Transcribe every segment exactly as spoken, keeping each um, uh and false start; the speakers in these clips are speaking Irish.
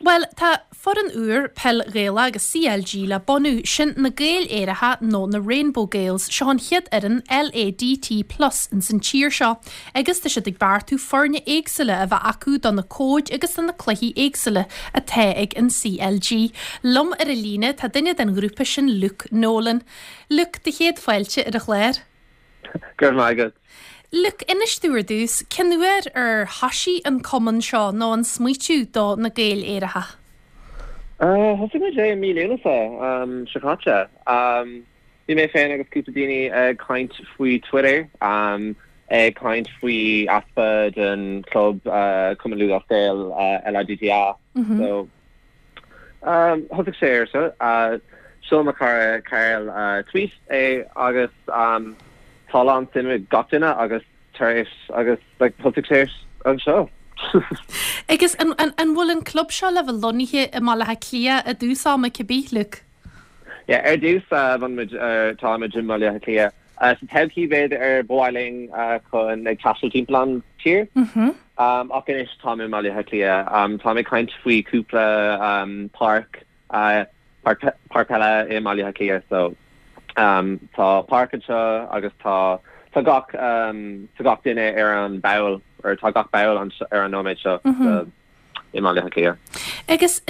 Bhuel, tá foireann úr peil Ghaelach agus C L G le bunú, sin na Gaeil Aeracha nó na Rainbow Gaels. Seo an chéad fhoireann L A D T Plus in san tír seo, agus tá siad ag beartú foirne éagsúla a bheith acu do na cóid agus do na cluichí éagsúla atá ag an C L G. Liom ar an líne tá duine den ghrúpa sin, Luke Nolan. Luke, do chéad fáilte ar an chlár. Gur maith. Luke, inis dúinn ar dtús, cén uair ar thosaigh an cumann seo nó an smaoitiú do na Gaeil Aeracha? Thosaigh muid é mí Lúnasa seo caite. Bhí mé féin agus cúpla daoine ag caint faoi Twitter, um, ag caint faoi easpa den club uh, Cumann Lúthchleas Gael uh, L A D T A. Mm -hmm. So um, thosaigh sé ar so uh, sheol mo chara Carl uh, tweet é agus um, tá an suim gach duine agus tar éis agus like, thosaigh sé anseo. Agus an, an, an bhfuil an club seo le bheith lonnaithe i mBaile Átha Cliath i dtús ama cibé, Luke? Yeah, ar dtús uh, muid uh, táimid i mBaile Átha Cliath. Uh, sa todhchaí b'fhéidir ar mhaith linn uh, chun ag taisteal timpeall an tír. Mm -hmm. um, ach anois tá i mBaile Átha Cliath. Um, tá mé caint faoi cúpla um, páirc uh, páirc peile i mBaile Átha Cliath, so um, tá páirc anseo agus tá tá gach um, tá gach duine ar an ball or tá gach ball an ar an nóiméad seo mm -hmm. i mBaile Átha Cliath. Agus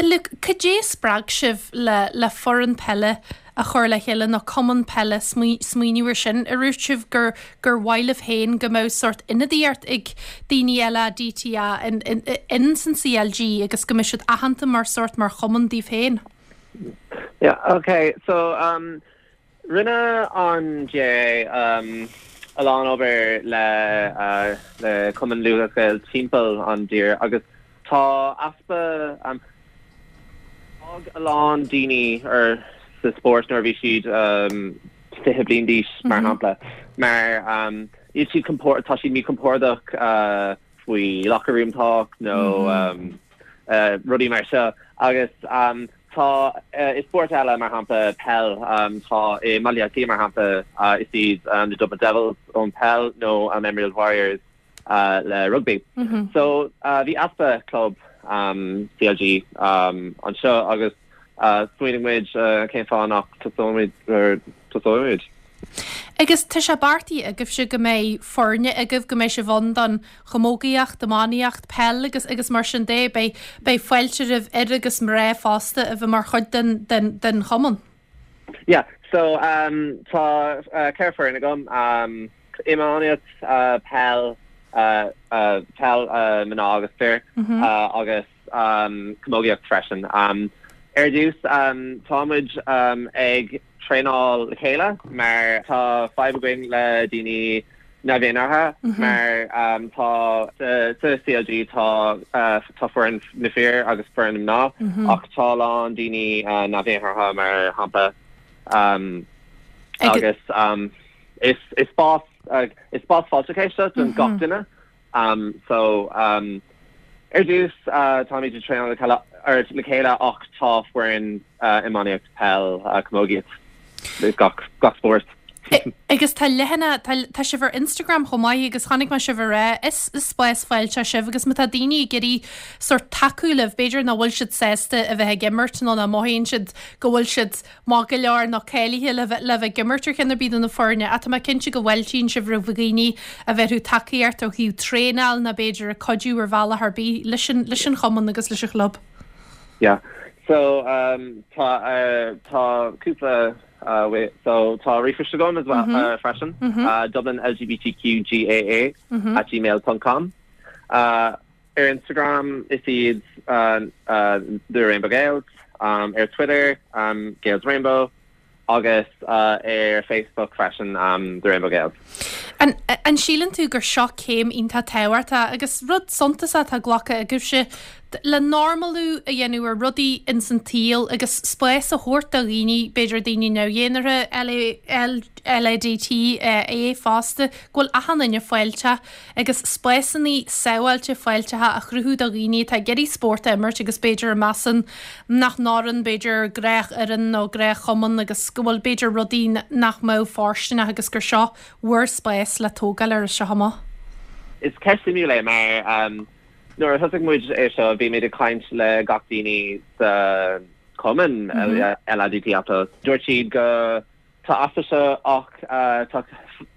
cad é spreag sibh le le foireann peile a chur le chéile nó cumann peile, smaoineamh sin a rúirt sibh gur gur mhaith libh féin go mbeadh sórt ionadaíocht ag daoine L A D T A in, in, in san C L G agus go mbeadh siad aitheanta mar sórt mar chumann díobh féin. Yeah, okay. So um rinne an G A A um, a lán obair le uh, le Cumann Lúthchleas Gael timpeall an tír agus tá easpa um, a lán daoine ar sa spórt nuair bhí siad um, fiche bliain d'aois mar mm -hmm. shampla mar um, níl siad tá siad míchompordach uh, faoi locker room talk nó mm -hmm. um, uh, rudaí mar seo agus um, tá uh, is spórt eile, mar shampla peil, um, tá i Malia mar shampla uh, is iad um, the Dublin Devils ón peil nó an Emerald Warriors uh, le rugby. Mm -hmm. So uh, bhí easpa club um, C L G um, anseo agus uh, smaoinigh muid uh, cén fáth nach tosóimid. Agus tá sé beartaithe agaibhse go mbeidh foirne agaibh, go mbeidh sibh ann don chamógaíocht, iománaíocht, peil agus agus mar sin de, beidh beidh fáilte roimh fhir agus mná fosta a bheith mar chuid den, den, den chumann. Yeah, so um, tá uh, ceithre foireann agam, um, iománaíocht, uh, peil, uh, uh, peil uh, mná agus fir mm -hmm. uh, agus um, camógaíocht freisin. Um, ar dtús um, táimid um, ag traenáil le chéile mar tá fadhb againn le daoine neamh-dhénártha mm -hmm. mar um, tá sa C L G tá uh, tá foireann na fir agus foireann mná mm -hmm. ach tá lán daoine uh, neamh-dhénártha mar shampla um, agus um, is is spás uh, is spás fáilteach é don mm -hmm. gach duine um, so um, ar dtús uh, táimid ag traenáil ar le chéile ach tá foireann uh, iománaíocht, peil, uh, camógaíocht, gach gach spórt. Agus tá leathanach, tá sibh ar Instagram chomh maith agus chonaic mé sibh ar is is spás fáilteach sibh agus má tá daoine ag iarraidh sórt tacú libh, b'fhéidir nach bhfuil siad sásta a bheith ag imirt nó nach mothaíonn siad go bhfuil siad maith go leor nó cáilithe le le bheith ag imirt ar cheann ar bith de na foirne, ach tá mé cinnte go bhfáiltíonn sibh roimh dhaoine a bheith tacaíocht ó thaobh traenáil nó b'fhéidir ag cuidiú ar bhealach ar bith leis an leis an chumann agus leis an chlub. Yeah. So um, tá uh, tá cúpla uh, wait, so tá ríomhphost agam as well mm -hmm. uh, freisin mm -hmm. uh, Dublin L G B T Q G A A mm -hmm. at gmail dot com. uh, ar Instagram is iad uh, uh, the Rainbow Gaels, um, ar Twitter um, Gaels Rainbow agus uh, ar Facebook freisin um, the Rainbow Gaels. An, an síleann tú gur seo céim iontach tábhachtach agus rud suntasach atá glactha agaibhse le normalú a dhéanamh ar rudaí in san tsaol agus spás a thabhairt do dhaoine, b'fhéidir daoine neamh-dhénártha, L A D T é fosta, go bhfuil achan duine fáilteach agus spásanna sábháilte fáilteacha a chruthú do dhaoine atá ag iarraidh spórt a imirt agus b'fhéidir a measann nach n-oireann b'fhéidir gnáthfhoireann nó gnáthchumann agus go bhfuil b'fhéidir rudaí nach mbeadh fóirsteanach agus gur seo bhur spás le tógáil ar seo amach. Is ceist suimiúil é mar um, Nuair a thosaigh muid é seo bhí muid ag caint le gach daoine sa cumann mm -hmm. LADTA plus. Dúirt siad go tá easpa seo ach uh, tá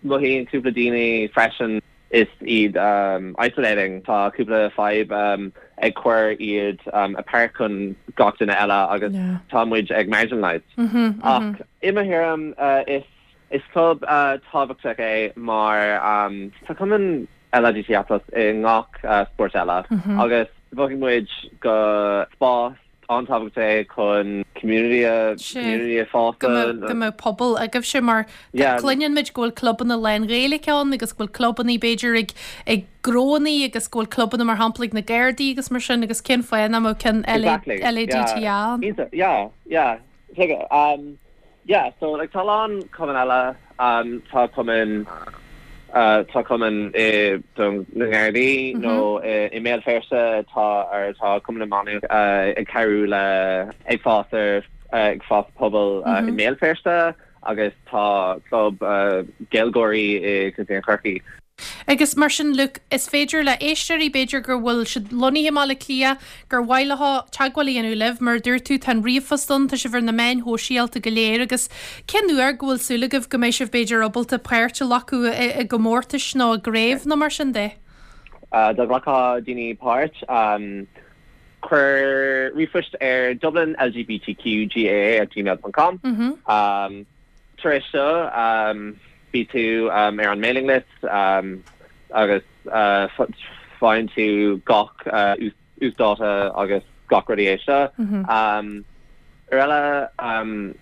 mothaíonn cúpla daoine freisin is iad um, isolating tá cúpla fadhb um, ag cur iad um, apart chun gach duine eile agus Yeah. tá muid ag marginalized. Mm -hmm, Ach i mo thuairim uh, is is club uh, tábhachtach é mar um, tá cumann LADTA plus i ngach uh, sport eile mm -hmm. agus mhothaigh muid go spás an-tábhachtach é chun community a Sé. community a fás go mbeadh go mbeadh pobal agaibhse mar Yeah. cluineann muid go bhfuil clubanna lán-Ghaeilge ann agus go bhfuil clubanna b'fhéidir ag ag gnónna agus go bhfuil clubanna mar shampla ag na Gardaí agus mar sin agus cén fáth nach mbeadh ceann Exactly. LADTA Yeah. ann. Iontach. Yeah, yeah. Take it. Um, yeah, so like tá lán cumann eile um, tá cumann uh, tá cumann i don na Gardaí nó i i Mbéal Feirste tá ar tá cumann manu uh, ag cabhrú le ag fás ar uh, ag fás pobal uh, i Mbéal Feirste agus tá club uh, Gaeilgeoirí i Contae Chorcaí. Agus mar sin Luke is féidir le éisteoirí b'fhéidir gur bhfuil siad lonnaithe i mBaile Átha Cliath gur mhaith leo teagmháil a dhéanamh libh mar dúirt tú tá an ríomhphost ann tá sibh ar na meáin shóisialta go léir agus cén uair go bhfuil súil agaibh go mbeidh sibh b'fhéidir ábalta páirt a ghlacadh i i gcomórtais nó i gcraobh nó mar sin de. Uh, dá nglacfadh daoine páirt um, chuir ríomhphost ar Dublin LGBTQGAA at gmail.com. Mm -hmm. Um, tar éis seo um, bhí tú um, ar an mailing list um, agus uh, faigheann tú gach uh, uasdáta agus gach rudaí é seo. Mm -hmm. Um, ar eile um,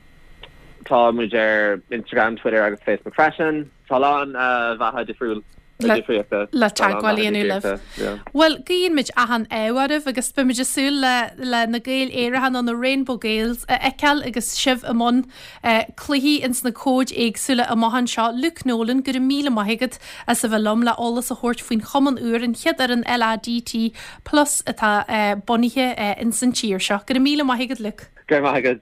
tá muid ar Instagram, Twitter agus Facebook freisin. Tá lán uh, bealaí difriúil Le- difríochta. le Tá lán teagmháil a bealaí dhéanamh libh. difríochta, yeah. Well guímid achan ádh oraibh agus beimid ag súil le le na Gaeil Aeracha nó na Rainbow Gaels a fheiceáil agus sibh i mbun uh, cluichí ins na cóid éagsúla amach anseo Luke Nolan go raibh míle maith agat as a bheith liom le eolas a thabhairt faoin chumann úr an chéad ar an LADT plus atá uh, bunaithe uh, ins an tír seo. Go raibh míle maith agat Luke. Go maith agat.